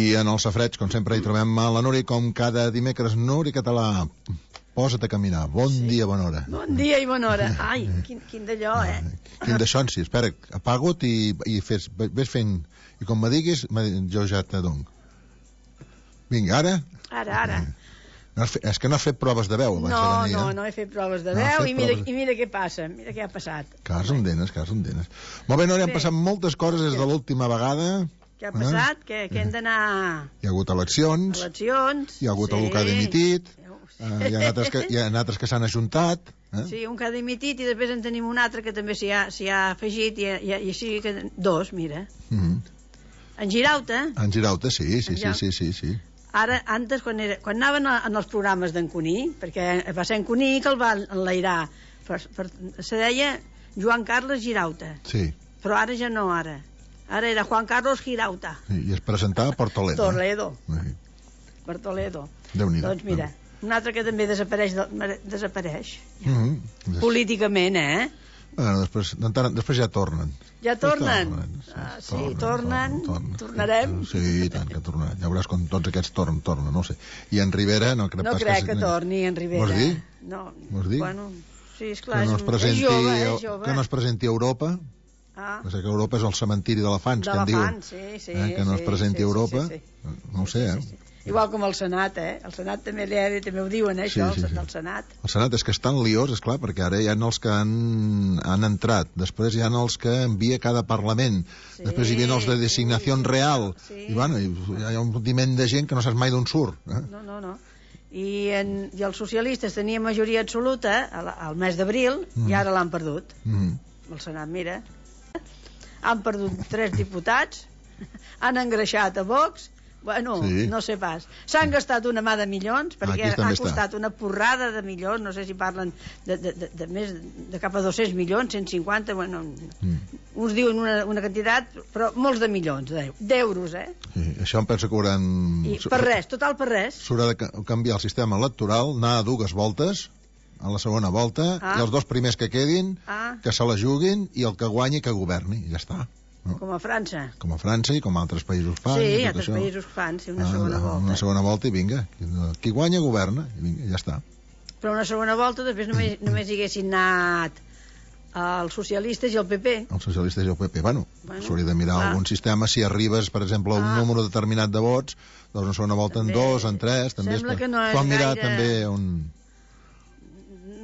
I en el safreig, com sempre, hi trobem a la Núria, com cada dimecres. Núria Català, posa't a caminar. Bon dia, bona hora. Bon dia i bona hora. Ai, quin d'allò, Quin d'això, sí. Espera, apaga't i ves fent... I com me diguis, jo ja te dono. Vinga, ara? Ara. És que no has fet proves de veu abans de venir, no he fet proves de veu i mira què passa, mira què ha passat. Cas on denes. Molt bé, Núria, han passat moltes coses des de l'última vegada. Què ha passat? Que hem d'anar... Hi ha hagut eleccions. Hi ha hagut algú que ha dimitit. Hi ha altres que s'han ajuntat. Sí, un que ha dimitit i després en tenim un altre que també s'hi ha afegit i així que... Dos, mira. En Girauta. En Girauta, sí. Ara, antes, quan anaven en els programes d'en Cuní, perquè va ser en Cuní que el va enlairar, se deia Joan Carles Girauta. Sí. Però ara ja no, ara era Juan Carlos Girauta. I es presentava per Toledo. Per Toledo. Déu-n'hi-do. Doncs mira, un altre que també desapareix. Políticament, Bueno, després ja tornen. Ja tornen? Sí, tornen. Tornarem? Sí, i tant que tornaran. Ja veuràs com tots aquests tornen, no sé. I en Rivera no crec pas que... No crec que torni en Rivera. Vols dir? No. Vols dir? Bueno, sí, esclar, és jove. Que no es presenti a Europa. Que Europa és el cementiri d'elefants, que en diuen. Que no es presenti a Europa. No ho sé, Igual com el Senat, El Senat també ho diuen, això, del Senat. El Senat és que estan liós, esclar, perquè ara hi ha els que han entrat, després hi ha els que envia cada Parlament, després hi havia els de designació real, i bueno, hi ha un diment de gent que no saps mai d'on surt. No. I els socialistes tenien majoria absoluta al mes d'abril i ara l'han perdut. El Senat, mira, han perdut 3 diputats, han engreixat a Vox. Bueno, no sé pas. S'han gastat una mà de milions, perquè ha costat una porrada de milions, no sé si parlen de més de cap a 200 milions, 150, bueno, uns diuen una quantitat, però molts de milions d'euros, Sí, això em penso que hauran... Per res, total per res. S'haurà de canviar el sistema electoral, anar a 2 voltes, a la segona volta, i els 2 primers que quedin, que se la juguin, i el que guanyi que governi, i ja està. Com a França. Com a França i com altres països fan. Sí, altres països fan, una segona volta. Una segona volta i vinga. Qui guanya, governa. I vinga, ja està. Però una segona volta després només hi haguessin anat els socialistes i el PP. Els socialistes i el PP. Bueno, s'hauria de mirar algun sistema. Si arribes, per exemple, a un número determinat de vots, doncs una segona volta en 2, en 3... Sembla que no és gaire... mirar també un...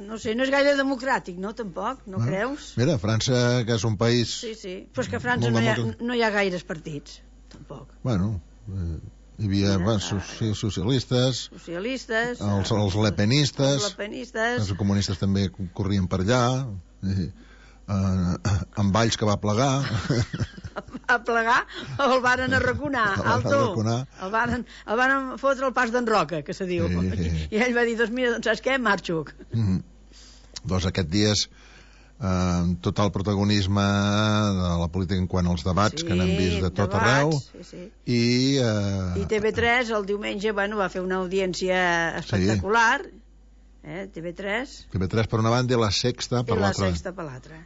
No sé, no és gaire democràtic, no, tampoc, no creus? Mira, França, que és un país... Sí, però és que a França no hi ha gaires partits, tampoc. Bueno, hi havia socialistes, els lepenistes, els comunistes també corrien per allà, en Valls que va plegar... A plegar o el varen arraconar, el varen fotre el pas d'en Roca, que se diu, i ell va dir, doncs mira, saps què, marxo. Doncs aquests dies total protagonisme de la política en quant als debats que n'hem vist de tot arreu i TV3 el diumenge va fer una audiència espectacular, TV3 per una banda i la Sexta per l'altra.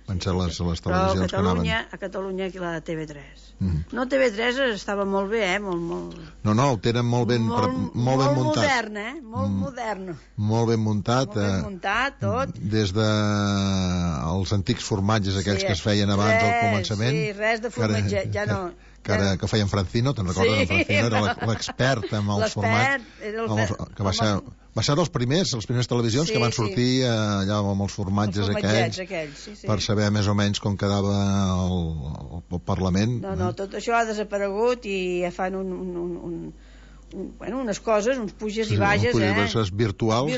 Van ser les televisions que anaven. A Catalunya la TV3 no, TV3 estava molt bé, molt... No, ho tenen molt ben muntat. Molt ben muntat, tot. Des de els antics formatges aquells que es feien abans al començament. Sí, res de formatge, ja no. Que feien Francino, te'n recordes? Francino era l'expert amb els formats, que va ser les primeres televisions que van sortir allà amb els formatges aquells per saber més o menys com quedava el Parlament. No, tot això ha desaparegut i fan unes coses, uns puges i baixes, virtuals,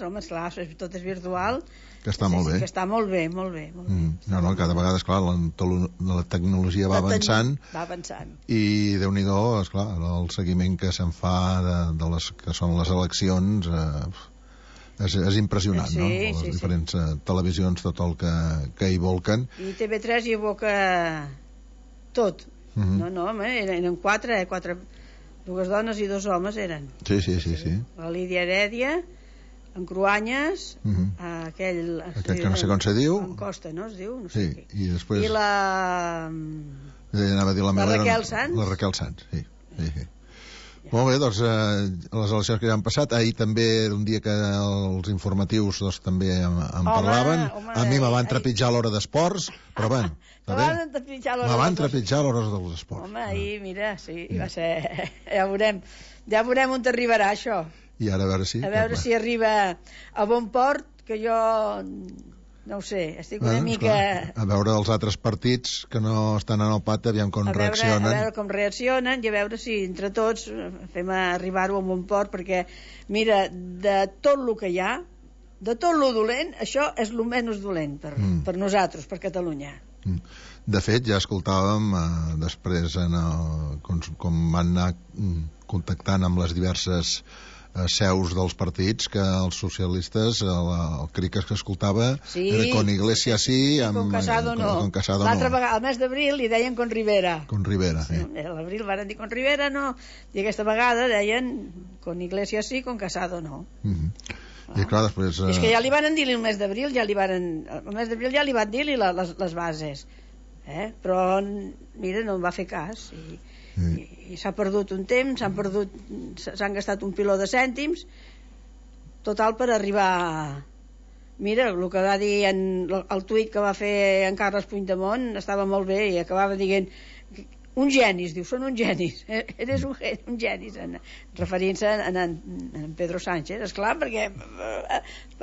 home, esclar, tot és virtual, que està molt bé. Que està molt bé. No, cada vegada, esclar, la tecnologia va avançant i Déu-n'hi-do, esclar, el seguiment que se'n fa de les que són les eleccions és impressionant, no? Les diferents televisions, tot el que hi volquen. I TV3 hi evoca tot. No, home, eren 4, 2 dones i 2 homes eren. Sí. La Lídia Herèdia, en Cruanyes, aquell que no sé com se diu, en Costa, no es diu? I després la Raquel Sans. La Raquel Sans, sí. Molt bé, doncs les eleccions que ja han passat, ahir també era un dia que els informatius també en parlaven. A mi me van trepitjar l'hora d'esports, però bueno, me van trepitjar l'hora dels esports. Home, ahir, mira, sí, va ser... Ja veurem on t'arribarà això. I ara a veure si... A veure si arriba a bon port, que jo... No ho sé, estic una mica... A veure els altres partits que no estan en el pacte, aviam com reaccionen. A veure com reaccionen i a veure si entre tots fem arribar-ho a bon port, perquè, mira, de tot el que hi ha, de tot el dolent, això és el menys dolent per nosaltres, per Catalunya. De fet, ja escoltàvem després com van anar contactant amb les diverses seus dels partits, que els socialistes el crit que escoltava era con Iglesias sí, con Casado no. L'altra vegada, al mes d'abril, li deien con Rivera. Con Rivera, sí. A l'abril van dir con Rivera no, i aquesta vegada deien con Iglesias sí, con Casado no. I clar, després... És que ja li van dir-li el mes d'abril, el mes d'abril ja li van dir-li les bases, però mira, no em va fer cas i s'ha perdut un temps, s'han gastat un piló de cèntims total per arribar. Mira, el que va dir el tuit que va fer en Carles Puigdemont estava molt bé i acabava dient un genis, diu, són un genis, eres un genis, referint-se a en Pedro Sánchez, esclar, perquè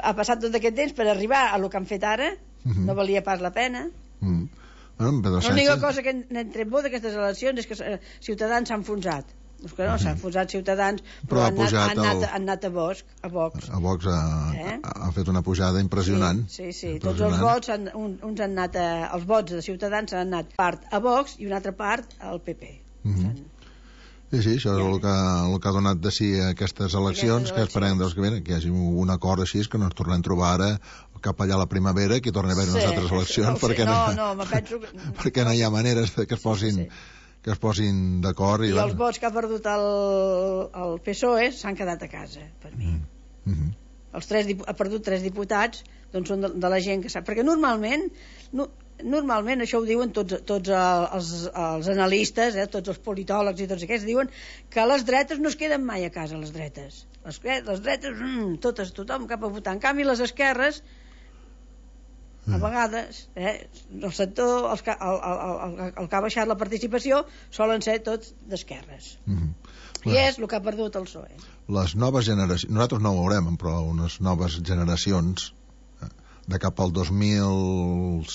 ha passat tot aquest temps per arribar a el que han fet ara, no valia pas la pena. L'única cosa que n'hem tret bo d'aquestes eleccions és que Ciutadans s'ha enfonsat. Que no, s'ha enfonsat Ciutadans, però han anat a Vox. A Vox ha fet una pujada impressionant. Sí. Tots els vots, uns han anat els vots de Ciutadans han anat part a Vox i una altra part al PP. Sí, això és el que ha donat de si aquestes eleccions, que esperem que hi hagi un acord així, que no ens tornem a trobar ara cap allà a la primavera, que hi torni a haver unes altres eleccions, perquè no hi ha maneres que es posin d'acord. I els vots que ha perdut el PSOE s'han quedat a casa, per mi. Ha perdut 3 diputats, doncs són de la gent que sap, perquè normalment això ho diuen tots els analistes, tots els politòlegs i tots aquests, diuen que les dretes no es queden mai a casa, les dretes, tothom cap a votar. En canvi, les esquerres, a vegades, el sector, el que ha baixat la participació, solen ser tots d'esquerres. I és el que ha perdut el PSOE. Les noves generacions, nosaltres no ho veurem, però unes noves generacions de cap al 2050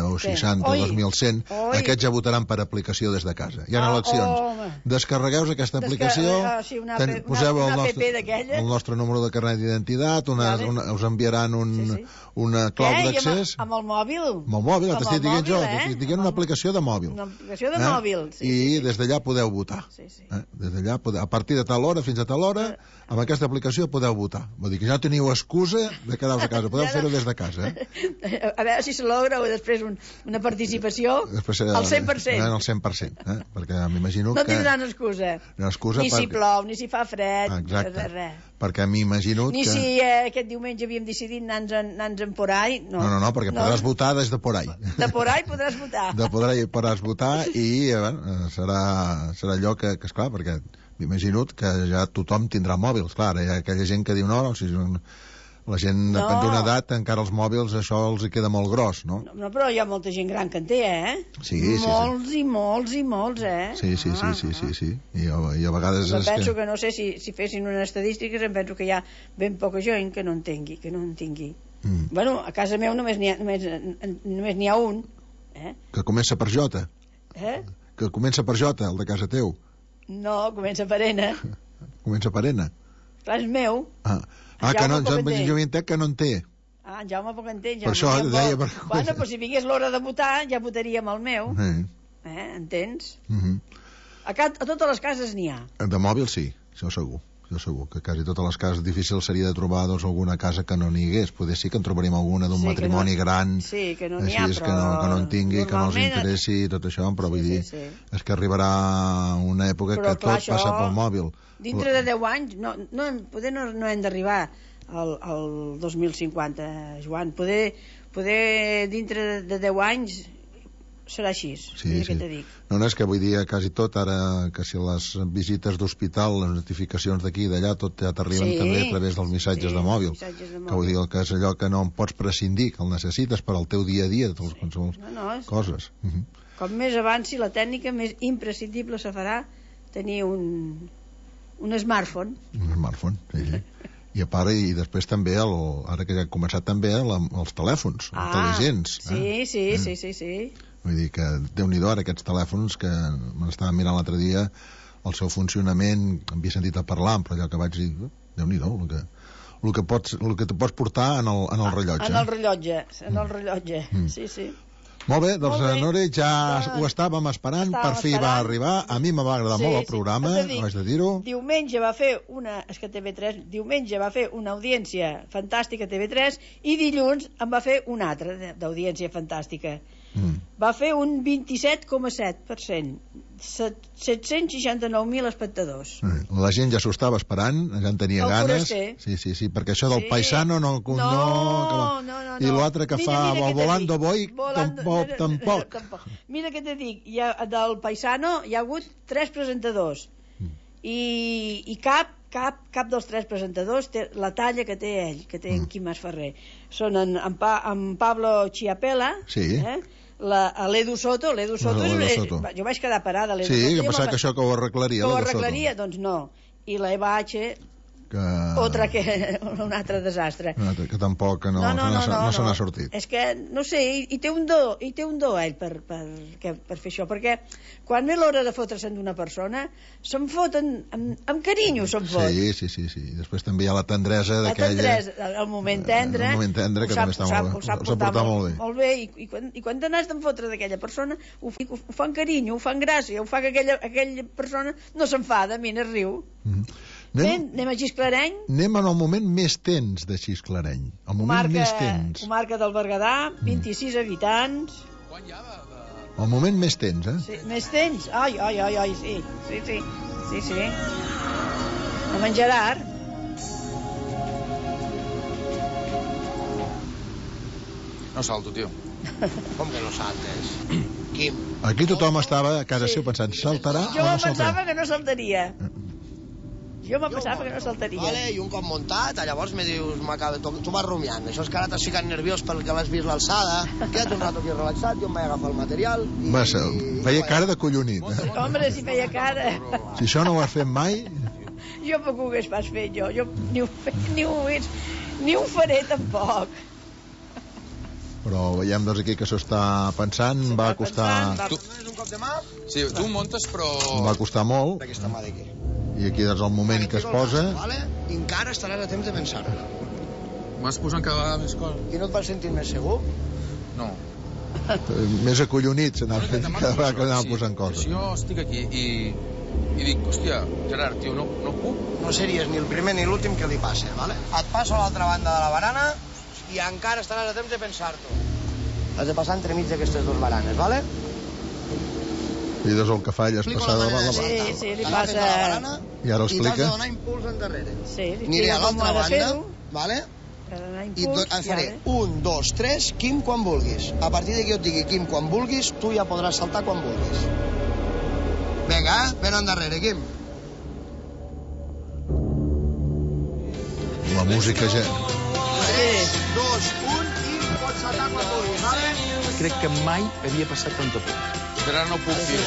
o 60 o 2100, aquests ja votaran per aplicació des de casa. Hi ha eleccions. Descarregueu aquesta aplicació, poseu el nostre número de carnet d'identitat, us enviaran una clau d'accés. Amb el mòbil? Amb el mòbil, t'estic dient jo, t'estic dient una aplicació de mòbil. Una aplicació de mòbil, sí. I des d'allà podeu votar. Des d'allà, a partir de tal hora fins a tal hora, amb aquesta aplicació podeu votar. Vull dir que ja no teniu excusa de quedar-vos a casa, podeu fer-ho des de casa. A veure si se logra o després una participació al 100%. Al 100%, perquè m'imagino que... No tindran excusa. Ni si plou, ni si fa fred, res. Perquè m'imagino que... Ni si aquest diumenge havíem decidit anar-nos-en por ahí. No, perquè podràs votar des de por ahí. De por ahí podràs votar. De por ahí podràs votar i serà allò que esclar, perquè m'imagino que ja tothom tindrà mòbils, clar, hi ha aquella gent que diu no, la gent depèn d'una edat, encara els mòbils això els hi queda molt gros, no? No, però hi ha molta gent gran que en té, Sí. Molts, Sí. I a vegades... Em penso que no sé si fessin unes estadístiques, em penso que hi ha ben poca gent que no en tingui. Bueno, a casa meu només n'hi ha un. Que comença per J. Que comença per J, el de casa teu. No, comença per N. Comença per N. Clar, és meu. Que no, jo havia entès que no en té. En Jaume poc entén. Per això deia... Bueno, però si vingués l'hora de votar, ja votaríem el meu. Entens? A totes les cases n'hi ha. De mòbil sí, això segur. Que quasi totes les cases difícil seria de trobar alguna casa que no n'hi hagués. Poder sí que en trobaríem alguna d'un matrimoni gran. Sí, que no n'hi ha, però... Que no en tingui, que no els interessi, tot això, però vull dir, és que arribarà una època que tot passa pel mòbil. Dintre de 10 anys, poder no hem d'arribar al 2050, Joan. Poder dintre de 10 anys serà així, que te dic. No, és que vull dir quasi tot, ara que si les visites d'hospital, les notificacions d'aquí i d'allà, tot ja t'arriben també a través dels missatges de mòbil. Que vull dir, que és allò que no en pots prescindir, que el necessites per al teu dia a dia, de qualsevol coses. Com més avanci la tècnica, més imprescindible se farà tenir un smartphone. Un smartphone, sí. I a part, i després també, ara que ja ha començat també, els telèfons intel·ligents. Sí. Vull dir que, Déu-n'hi-do, ara aquests telèfons que me n'estava mirant l'altre dia, el seu funcionament, havia sentit a parlar, però allò que vaig dir, Déu-n'hi-do, el que te pots portar en el rellotge. En el rellotge, sí. Molt bé, doncs Nore, ja ho estàvem esperant, per fi va arribar, a mi me va agradar molt el programa, ho haig de dir-ho. Diumenge va fer una audiència fantàstica a TV3 i dilluns en va fer una altra d'audiència fantàstica. Va fer un 27,7%, 769.000 espectadors. La gent ja s'ho estava esperant, ja en tenia ganes. Sí, perquè això del paisano no. I l'altre que fa el Volando Boy tampoc. Mira què te dic, del paisano hi ha hagut 3 presentadors i cap dels 3 presentadors té la talla que té ell, que té en Quim Mas Ferrer. Són en Pablo Chiapella, l'Edu Soto, jo vaig quedar parada a l'Edu Soto. Sí, que pensava que això que ho arreglaria. Que ho arreglaria, doncs no. I la Eva H, un altre desastre. Que tampoc no se n'ha sortit. És que, no sé, i té un do ell per fer això, perquè quan ve l'hora de fotre-se'n d'una persona, se'n foten amb carinyo, se'n fot. Sí. I després també hi ha la tendresa d'aquella... El moment tendre, que també s'ha portat molt bé. Molt bé, i quan t'anes d'en fotre d'aquella persona, ho fan carinyo, ho fan gràcia, ho fa que aquella persona no s'enfada, mira, riu. Anem a Xisclareny. Anem en el moment més tens de Xisclareny. El moment més tens. Comarca del Berguedà, 26 habitants. El moment més tens, Sí, més tens? Ai, sí. Amb en Gerard. No salto, tio. Com que no saltes? Quim? Aquí tothom estava a casa seu pensant, saltarà o no saltarà? Jo pensava que no saltaria. Vale, i un cop muntat, llavors me dius, tu vas rumiant, això és que ara t'has ficat nerviós perquè l'has vist l'alçada, queda't un rato aquí relaxat, jo em vaig agafar el material feia cara de collonit, Home, si feia cara. Si això no ho has fet mai... Jo poc ho hagués pas fet, jo ni ho faré tampoc. Però veiem doncs aquí que s'ho està pensant, va costar... Un cop de mà? Sí, tu muntes, però... Va costar molt. Aquesta mà d'aquí. I aquí doncs el moment que es posa... I encara estaràs a temps de pensar-ho. Vas posant cada vegada més coses. I no et vas sentir més segur? No. Més acollonit s'anava fent cada vegada que anava posant coses. Si jo estic aquí i dic, hòstia, Gerard, tio, no puc? No series ni el primer ni l'últim que li passa, vale? Et passo a l'altra banda de la barana i encara estaràs a temps de pensar-t'ho. Has de passar entremig d'aquestes dues baranes, vale? I doncs el que fa ella és passar de la barana. Sí, li passa... I ara explica. I t'has de donar impuls endarrere. Sí, aniré a l'altra banda, vale? I faré 1, 2, 3, Quim, quan vulguis. A partir d'aquí jo et digui Quim, quan vulguis, tu ja podràs saltar quan vulguis. Vinga, ven endarrere, Quim. La música ja... 3, 2, 1, Quim, pots saltar quan vulguis, vale? Crec que mai havia passat tanta por. Gerard, no puc, tio.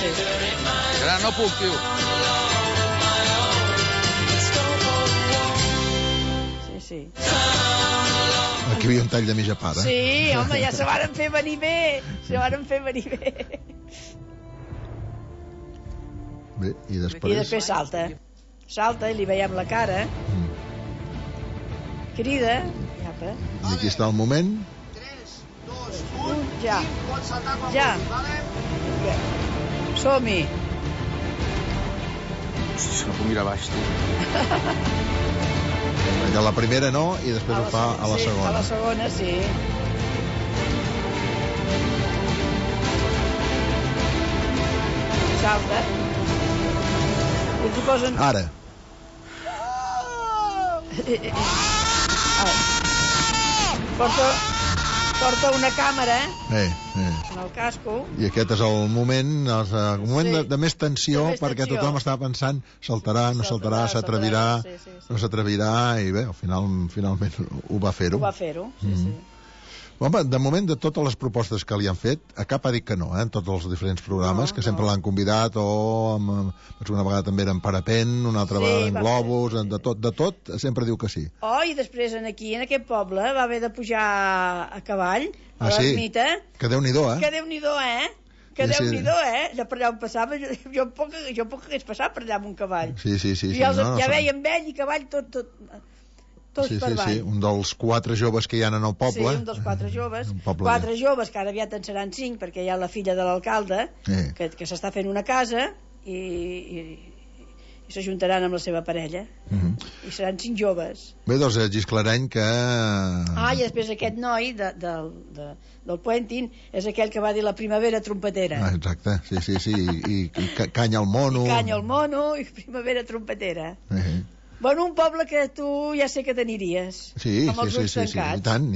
Gerard, no puc, tio. Sí. Aquí hi havia un tall de mitja part, Sí, home, ja se varen fer venir bé. Bé, i després... I després salta i li veiem la cara. Crida. I aquí està el moment. 3, 2, 1, ja. Pots saltar quan vulguis, vale? Som-hi. Hosti, no puc mirar baix, tio. Perquè la primera no, i després ho fa a la segona. A la segona, sí. Salta. I t'hi posen... Ara. Porta... porta una càmera en el casco. I aquest és el moment, de més tensió, perquè tothom està pensant saltarà, no saltarà, s'atrevirà, no s'atrevirà, i bé, finalment ho va fer-ho. Sí. Home, de moment, de totes les propostes que li han fet, a cap ha dit que no, en tots els diferents programes, que sempre l'han convidat, una vegada també era en parapent, una altra vegada en globus, de tot, sempre diu que sí. I després aquí, en aquest poble, va haver de pujar a cavall, a l'ermita. Que Déu-n'hi-do, Que Déu-n'hi-do, Que Déu-n'hi-do, allà per allà on passava, jo poc hagués passat per allà amb un cavall. Sí. Ja veiem vell i cavall tot per avall. Sí, un dels 4 joves que hi ha en el poble. Sí, un dels 4 joves. 4 joves, que ara aviat en seran 5, perquè hi ha la filla de l'alcalde, que s'està fent una casa, i s'ajuntaran amb la seva parella. I seran 5 joves. Bé, doncs, Gisclareny que... I després aquest noi del Puentin és aquell que va dir la primavera trompetera. Exacte, sí, i canya al mono. I primavera trompetera. Bueno, un poble que tu ja sé que t'aniries. Sí, i tant.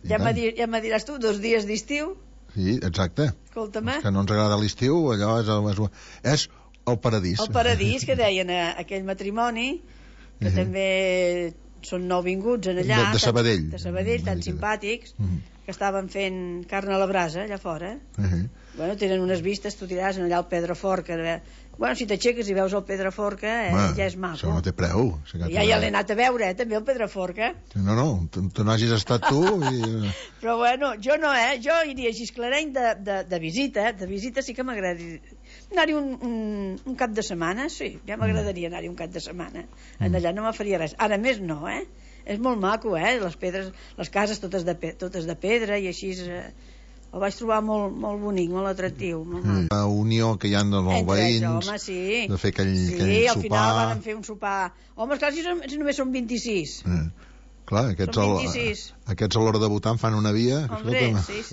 Ja me diràs tu, 2 dies d'estiu. Sí, exacte. Escolta'm. Que no ens agrada l'estiu, allò és el paradís. El paradís, que deien aquell matrimoni, que també són nouvinguts en allà. De Sabadell. De Sabadell, tan simpàtics, que estaven fent carn a la brasa, allà fora. Bueno, tenen unes vistes, tu diràs, allà al Pedrafort, que... Bueno, si t'aixeques i veus el Pedraforca, ja és maco. Això no té preu. Ja l'he anat a veure, també, el Pedraforca. No, tu no hagis estat tu. Però bueno, jo no, jo iria a Gisclareny de visita. De visita sí que m'agradaria. Anar-hi un cap de setmana, sí, ja m'agradaria anar-hi un cap de setmana. Allà no me faria res. Ara més no, És molt maco, les pedres, les cases totes de pedra i així... El vaig trobar molt bonic, molt atractiu. La unió que hi ha dels veïns, home, sí. De fer aquell sopar... Sí, al final van fer un sopar... Home, esclar, si només són 26. Clar, aquests a l'hora de votar en fan una via. Hombre, sí.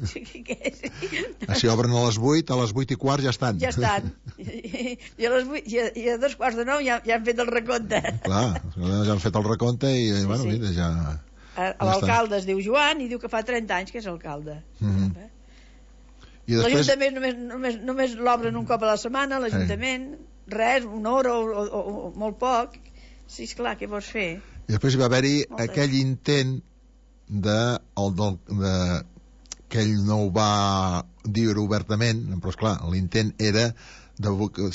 Si obren a les 8, a les 8:15 ja estan. Ja estan. I a 8:45 ja han fet el recompte. Clar, ja han fet el recompte i, bueno, mira, ja... L'alcalde es diu Joan i diu que fa 30 anys que és alcalde. L'Ajuntament només l'obren un cop a la setmana, l'Ajuntament, res, una hora o molt poc. Sí, esclar, què vols fer? I després hi va haver-hi aquell intent que ell no ho va dir obertament, però esclar, l'intent era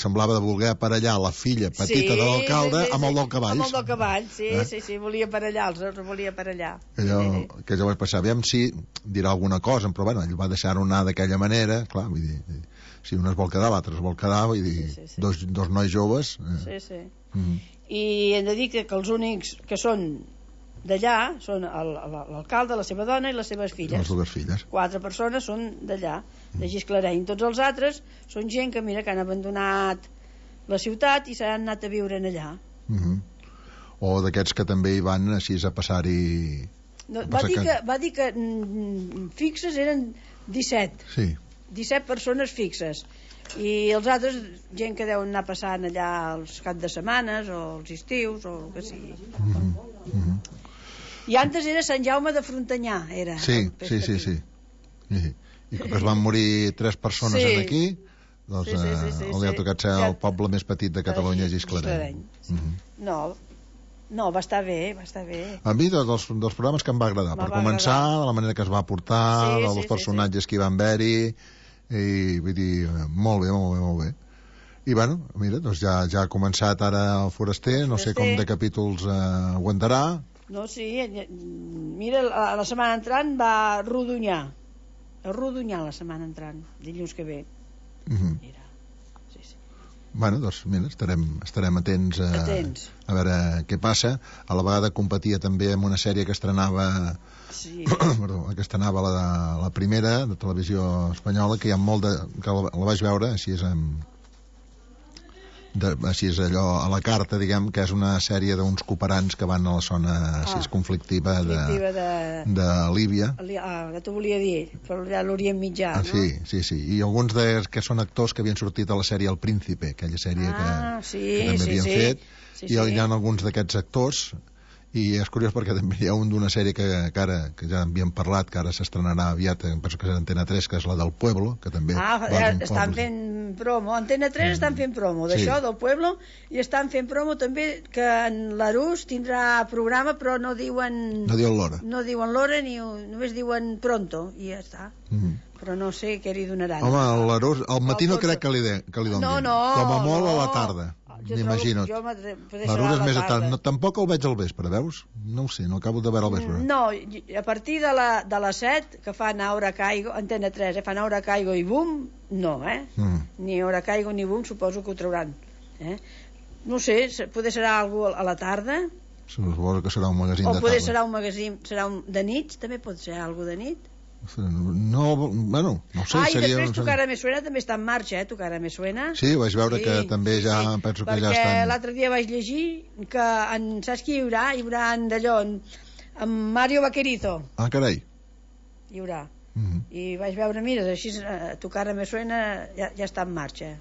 semblava de voler aparellar la filla petita de l'alcalde amb el del cavall. Amb el del cavall, sí, volia aparellar, els volia aparellar. Que jo vaig passar, aviam si dirà alguna cosa, però bueno, ell va deixar-ho anar d'aquella manera, clar, vull dir, si un es vol quedar, l'altre es vol quedar, vull dir, dos nois joves. Sí. I hem de dir que els únics que són d'allà són l'alcalde, la seva dona i les seves filles. Les dues filles. 4 persones són d'allà, de Gisclareny. Tots els altres són gent que, mira, que han abandonat la ciutat i s'han anat a viure allà. O d'aquests que també hi van així a passar-hi... Va dir que fixes eren 17. Sí. 17 persones fixes. I els altres, gent que deuen anar passant allà els caps de setmanes o els estius o el que sigui. I antes era Sant Jaume de Frontanyà, era. Sí. I que es van morir 3 persones aquí, doncs li ha tocat ser el poble més petit de Catalunya, Gisclareny. No, va estar bé. A mi dels programes que em va agradar, per començar, de la manera que es va portar, dels personatges que hi van haver-hi, i vull dir, molt bé. I bueno, mira, doncs ja ha començat ara el Foraster, no sé com de capítols aguantarà. No, sí, mira, la setmana entrant va Rodonyà. A Rodonyà la setmana entrant, dilluns que ve. Mira, sí. Bueno, doncs mira, estarem atents a veure què passa. A la vegada competia també amb una sèrie que estrenava la primera de televisió espanyola, que hi ha molt que la vaig veure així és allò a la carta, diguem, que és una sèrie d'uns cooperants que van a la zona així conflictiva de Líbia. Ja t'ho volia dir, però allà l'Orient Mitjà, no? Sí. I alguns que són actors que havien sortit a la sèrie El Príncipe, aquella sèrie que també havien fet, i hi ha alguns d'aquests actors, I és curiós perquè també hi ha un d'una sèrie que ja havíem parlat, que ara s'estrenarà aviat, penso que és Antena 3, que és la del Pueblo, que també... estan fent promo. Antena 3 estan fent promo d'això, del Pueblo, i estan fent promo també que en l'Arús tindrà programa, però no diuen... No diuen l'hora. No diuen l'hora, ni només diuen pronto, i ja està. Però no sé què li donaran. Home, l'Arús, al matí no crec que li donin. No. Com a molt a la tarda. M'imagino. L'Arús és més a tard. Tampoc el veig al vespre, veus? No ho sé, no acabo de veure al vespre. No, a partir de les 7, que fan Ahora Caigo, Antena 3, fan Ahora Caigo i Boom, no, ni Ahora Caigo ni Boom, suposo que ho trauran. No sé, potser serà algú a la tarda. Suposo que serà un magazín de tarda. O potser serà un magazín de nit, també pot ser algú de nit. No, bueno, no sé. I després Tu cara me suena també està en marxa, Tu cara me suena. Sí, vaig veure que també ja, penso que ja estan... Perquè l'altre dia vaig llegir que, saps qui hi haurà? Hi haurà d'allò, en Mario Vaquerizo. Ah, carai. Hi haurà. I vaig veure, mira, així Tu cara me suena ja està en marxa.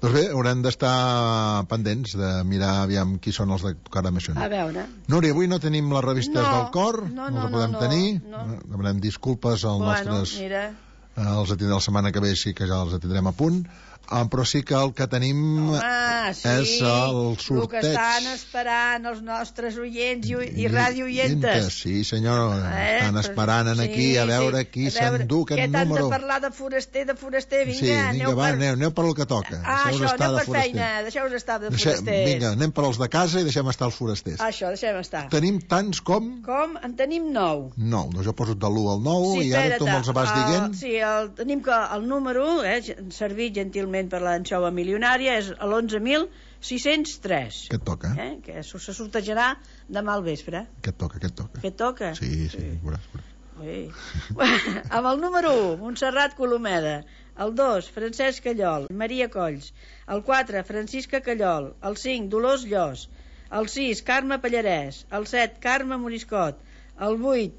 Doncs bé, haurem d'estar pendents de mirar aviam qui són els de Tu cara me suena. A veure. Núria, avui no tenim les revistes del cor, no les podem tenir. Demanem disculpes als nostres... Mira. Els atendrem la setmana que ve, sí que ja els atendrem a punt. Però sí que el que tenim és el sorteig. El que estan esperant els nostres oients i radioientes. Sí, senyor, estan esperant aquí a veure qui s'endú aquest número. Que t'han de parlar de foraster, vinga. Sí, vinga, va, aneu per el que toca. Això, aneu per feina, deixeu-vos estar de forasters. Vinga, anem per els de casa i deixem estar els forasters. Això, deixem estar. Tenim tants com? En tenim 9. 9, doncs jo poso de l'1 al 9 i ara tu me'ls vas dient. Sí, tenim que el número, servit gentilment per l'anxova milionària, és l'11.603. Què et toca? Que se sortejarà demà al vespre. Què et toca? Què et toca? Sí, veuràs. Amb el número 1, Montserrat Colomeda. El 2, Francesc Callol, Maria Colls. El 4, Francisca Callol. El 5, Dolors Llos. El 6, Carme Pallarès. El 7, Carme Moriscot. El 8,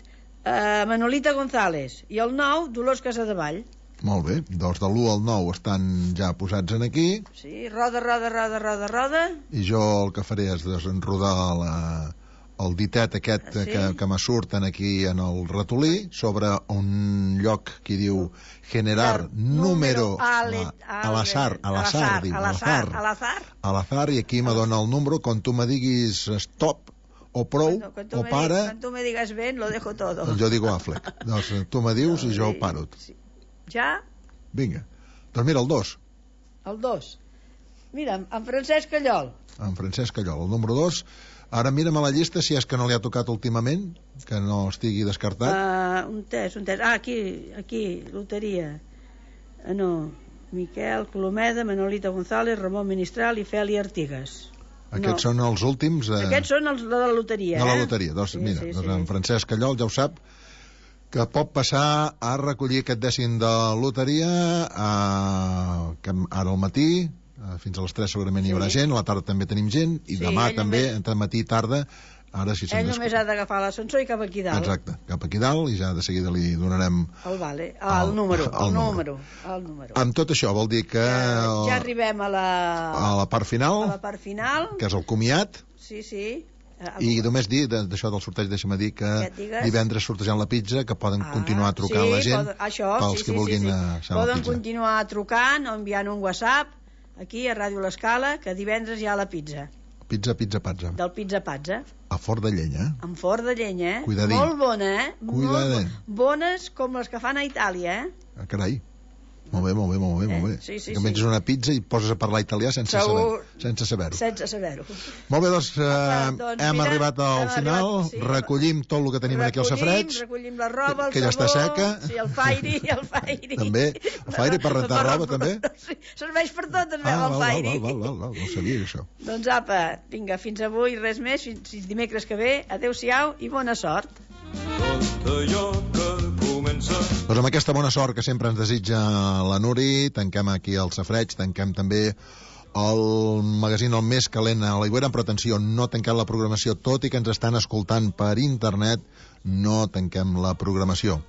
Manolita González. I el 9, Dolors Casadevall. Molt bé, doncs de l'1 al 9 estan ja posats en aquí. Sí, roda. I jo el que faré és desenrodar el ditet aquest que me surten aquí en el ratolí sobre un lloc que diu generar número a l'azar, i aquí me dona el número. Quan tu me diguis stop o prou o para, quan tu me digues ben, lo dejo todo. Jo digo Affleck. Doncs tu me dius i jo paro. Ja? Vinga. Doncs mira, el 2. El 2. Mira, en Francesc Callol. En Francesc Callol, el número 2. Ara mira'm a la llista si és que no li ha tocat últimament, que no estigui descartat. Un test. Aquí, loteria. No, Miquel Colomeda, Manolita González, Ramon Ministral i Feli Artigas. Aquests són els últims. Aquests són els de la loteria. De la loteria. Doncs mira, en Francesc Callol ja ho sap, que pot passar a recollir aquest dècim de loteria ara al matí, fins a les 3 segurament hi haurà gent, a la tarda també tenim gent, i demà també, entre matí i tarda, ara sí ell només ha d'agafar l'ascensor i cap aquí dalt. Exacte, cap aquí dalt, i ja de seguida li donarem el número. Amb tot això vol dir que ja arribem a la part final, que és el comiat. Sí. I només dir d'això del sorteig, deixa'm dir que divendres sortejant la pizza, que poden continuar trucant la gent pels que vulguin poden continuar trucant o enviant un WhatsApp aquí a Ràdio L'Escala, que divendres hi ha la pizza. Pizza Pazza. Del Pizza Pazza. A Fort de Llenya. En Fort de Llenya, Cuidadín. Molt bona, Cuidadín. Bones com les que fan a Itàlia, Carai. Molt bé. Sí. Que menges una pizza i poses a parlar italià sense saber-ho. Molt bé, doncs hem arribat al final. Recollim tot el que tenim aquí al safareig. Recollim la roba, el que ja està seca. Sí, el fairi. També, el fairi per rentar roba, també. Serveix per tot, el fairi. Val, no sabia això. Doncs apa, vinga, fins avui, res més, fins dimecres que ve. Adéu-siau i bona sort. Tot allò que doncs amb aquesta bona sort que sempre ens desitja la Nuri, tanquem aquí el safareig, tanquem també el magazín el més calent a l'Aigüera, però atenció, no tanquem la programació, tot i que ens estan escoltant per internet, no tanquem la programació.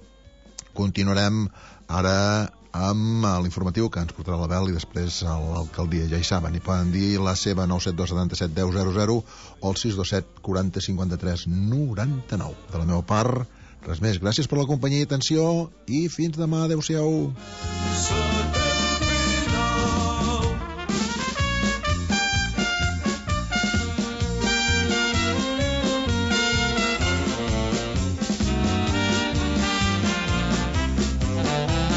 Continuarem ara amb l'informatiu que ens portarà la Bel i després l'alcaldia. Ja hi saben, hi poden dir la seva 972 77 10 00 o el 627 40 53 99. De la meva part, res més. Gràcies per la companyia i atenció i fins demà. Adéu-siau.